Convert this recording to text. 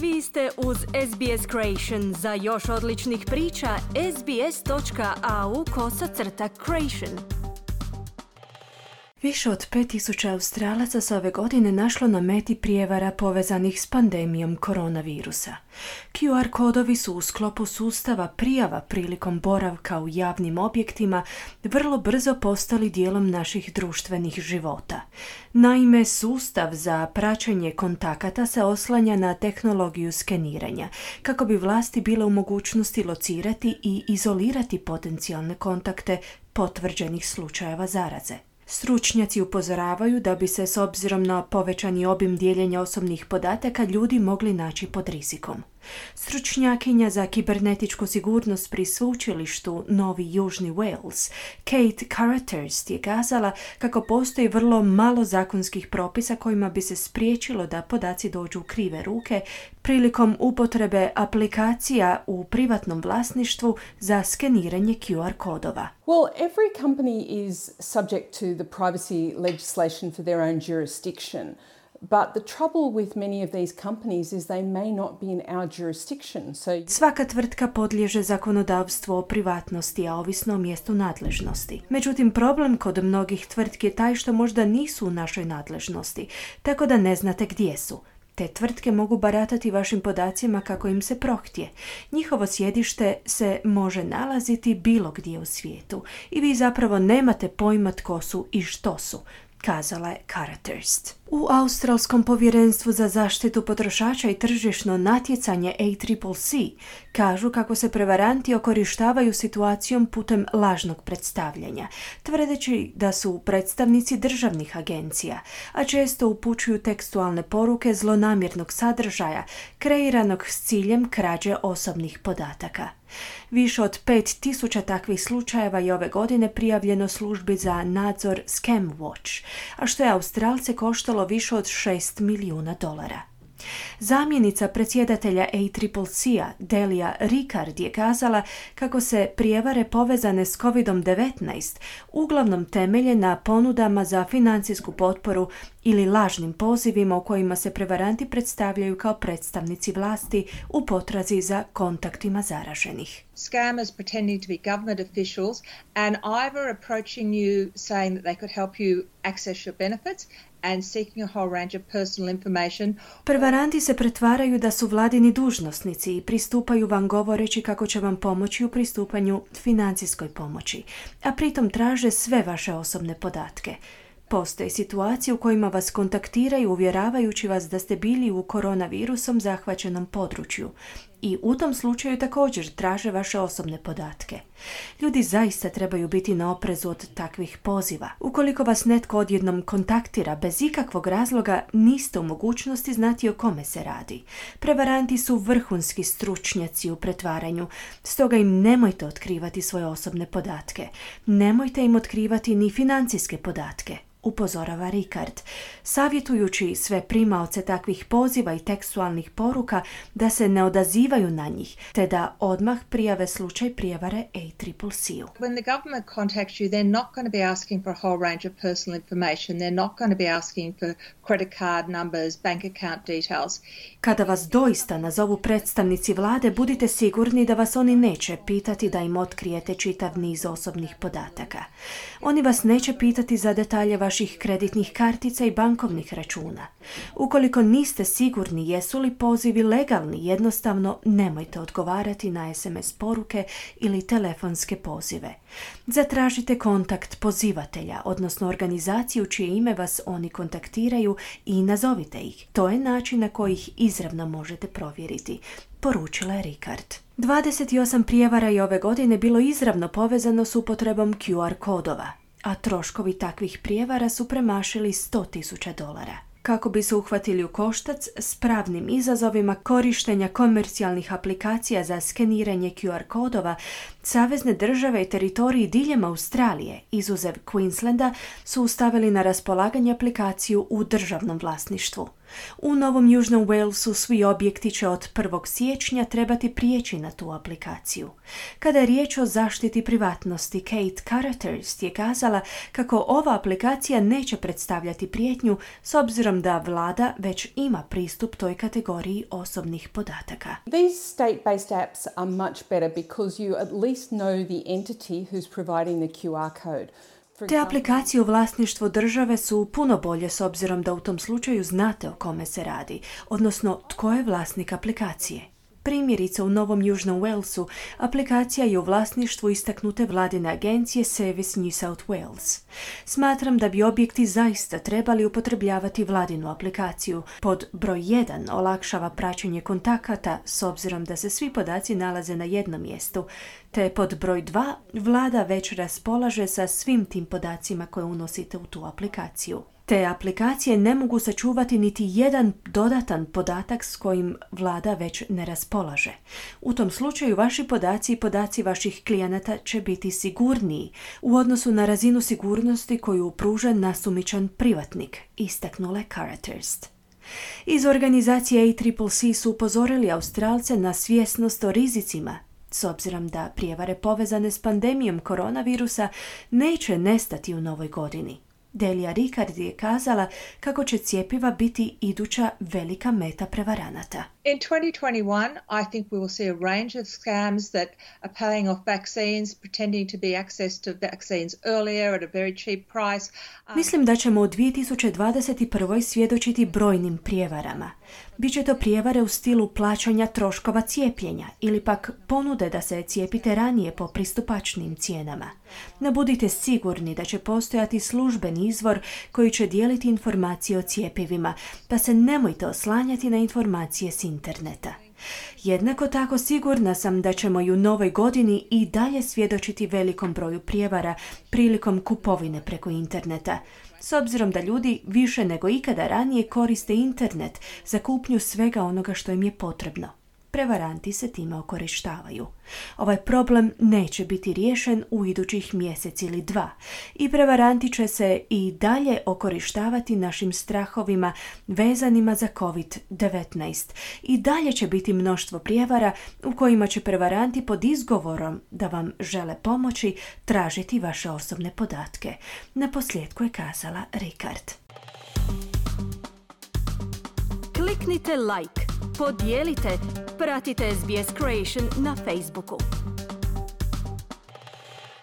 Vi ste uz SBS Creation. Za još odličnih priča, sbs.au/creation. Više od 5000 Australaca se ove godine našlo na meti prijevara povezanih s pandemijom koronavirusa. QR kodovi su u sklopu sustava prijava prilikom boravka u javnim objektima vrlo brzo postali dijelom naših društvenih života. Naime, sustav za praćenje kontakata se oslanja na tehnologiju skeniranja, kako bi vlasti bile u mogućnosti locirati i izolirati potencijalne kontakte potvrđenih slučajeva zaraze. Stručnjaci upozoravaju da bi se s obzirom na povećani obim dijeljenja osobnih podataka ljudi mogli naći pod rizikom. Stručnjakinja za kibernetičku sigurnost pri sveučilištu Novi Južni Wales, Kate Carruthers, je kazala kako postoji vrlo malo zakonskih propisa kojima bi se spriječilo da podaci dođu u krive ruke prilikom upotrebe aplikacija u privatnom vlasništvu za skeniranje QR kodova. Well, every company is subject to the privacy legislation for their own jurisdiction. But the trouble with many of these companies is they may not be in our jurisdiction. Svaka tvrtka podliježe zakonodavstvu o privatnosti, a ovisno o mjestu nadležnosti. Međutim, problem kod mnogih tvrtki je taj što možda nisu u našoj nadležnosti, tako da ne znate gdje su. Te tvrtke mogu baratati vašim podacima kako im se prohtje. Njihovo sjedište se može nalaziti bilo gdje u svijetu i vi zapravo nemate pojma tko su i što su, kazala je Carruthers. U Australskom povjerenstvu za zaštitu potrošača i tržišno natjecanje ACCC kažu kako se prevaranti okorištavaju situacijom putem lažnog predstavljanja, tvrdeći da su predstavnici državnih agencija, a često upućuju tekstualne poruke zlonamjernog sadržaja kreiranog s ciljem krađe osobnih podataka. Više od 5000 takvih slučajeva je ove godine prijavljeno službi za nadzor Scam Watch, a što je Australce koštalo više od $6 milijuna. Zamjenica predsjedatelja ACCC-a Delia Ricard je kazala kako se prijevare povezane s COVID-19 uglavnom temelje na ponudama za financijsku potporu ili lažnim pozivima u kojima se prevaranti predstavljaju kao predstavnici vlasti u potrazi za kontaktima zaraženih. Scammers pretending to be government officials and either approaching you saying that they could help you access your benefits and seeking a whole range of personal information. Prevaranti se pretvaraju da su vladini dužnosnici i pristupaju vam govoreći kako će vam pomoći u pristupanju financijskoj pomoći, a pritom traže sve vaše osobne podatke. Postoje situacije u kojima vas kontaktiraju uvjeravajući vas da ste bili u koronavirusom zahvaćenom području i u tom slučaju također traže vaše osobne podatke. Ljudi zaista trebaju biti na oprezu od takvih poziva. Ukoliko vas netko odjednom kontaktira bez ikakvog razloga, niste u mogućnosti znati o kome se radi. Prevaranti su vrhunski stručnjaci u pretvaranju, stoga im nemojte otkrivati svoje osobne podatke. Nemojte im otkrivati ni financijske podatke, upozorava Ricard, savjetujući sve primaoce takvih poziva i tekstualnih poruka da se ne odazivaju na njih, te da odmah prijave slučaj prijevare ACCC-u. When the government contacts you, they're not going to be asking for a whole range of personal information. They're not going to be asking for credit card numbers, bank account details. Kada vas doista nazovu predstavnici vlade, budite sigurni da vas oni neće pitati da im otkrijete čitav niz osobnih podataka. Oni vas neće pitati za detalje vaših kreditnih kartica i bankovnih računa. Ukoliko niste sigurni jesu li pozivi legalni, jednostavno nemojte odgovarati na SMS poruke ili telefonske pozive. Zatražite kontakt pozivatelja, odnosno organizaciju čije ime vas oni kontaktiraju i nazovite ih. To je način na koji ih izravno možete provjeriti, poručila je Ricard. 28 prijevara je ove godine bilo izravno povezano s upotrebom QR kodova, a troškovi takvih prijevara su premašili $100,000. Kako bi se uhvatili u koštac s pravnim izazovima korištenja komercijalnih aplikacija za skeniranje QR kodova, Savezne države i teritoriji diljem Australije, izuzev Queenslanda, su stavili na raspolaganje aplikaciju u državnom vlasništvu. U Novom Južnom Walesu svi objekti će od 1. siječnja trebati prijeći na tu aplikaciju. Kada je riječ o zaštiti privatnosti, Kate Carruthers je kazala kako ova aplikacija neće predstavljati prijetnju s obzirom da vlada već ima pristup toj kategoriji osobnih podataka. These state-based apps are much better because you at least know the entity who's providing the QR code. Te aplikacije u vlasništvu države su puno bolje s obzirom da u tom slučaju znate o kome se radi, odnosno tko je vlasnik aplikacije. Primjerice u Novom Južnom Walesu aplikacija je u vlasništvu istaknute vladine agencije Service New South Wales. Smatram da bi objekti zaista trebali upotrebljavati vladinu aplikaciju. Pod broj 1 olakšava praćenje kontakata s obzirom da se svi podaci nalaze na jednom mjestu, te pod broj 2 vlada već raspolaže sa svim tim podacima koje unosite u tu aplikaciju. Te aplikacije ne mogu sačuvati niti jedan dodatan podatak s kojim vlada već ne raspolaže. U tom slučaju vaši podaci i podaci vaših klijenata će biti sigurniji u odnosu na razinu sigurnosti koju pruža nasumičan privatnik, istaknula Carruthers. Iz organizacije ACCC su upozorili Australce na svjesnost o rizicima, s obzirom da prijevare povezane s pandemijom koronavirusa neće nestati u novoj godini. Delia Ricard je kazala kako će cjepiva biti iduća velika meta prevaranata. In 2021, I think we will see a range of scams that are paying off vaccines, pretending to be access to vaccines earlier at a very cheap price. Mislim da ćemo u 2021. svjedočiti brojnim prijevarama. Biće to prijevare u stilu plaćanja troškova cijepljenja ili pak ponude da se cijepite ranije po pristupačnim cijenama. No budite sigurni da će postojati službeni izvor koji će dijeliti informacije o cjepivima, pa se nemojte oslanjati na informacije s interneta. Jednako tako sigurna sam da ćemo i u novoj godini i dalje svjedočiti velikom broju prijevara prilikom kupovine preko interneta, s obzirom da ljudi više nego ikada ranije koriste internet za kupnju svega onoga što im je potrebno. Prevaranti se time okorištavaju. Ovaj problem neće biti riješen u idućih mjesec ili 2 i prevaranti će se i dalje okorištavati našim strahovima vezanima za COVID-19. I dalje će biti mnoštvo prijevara u kojima će prevaranti pod izgovorom da vam žele pomoći tražiti vaše osobne podatke. Naposljetku je kazala Ricard. Kliknite like, podijelite, pratite SBS Creation na Facebooku.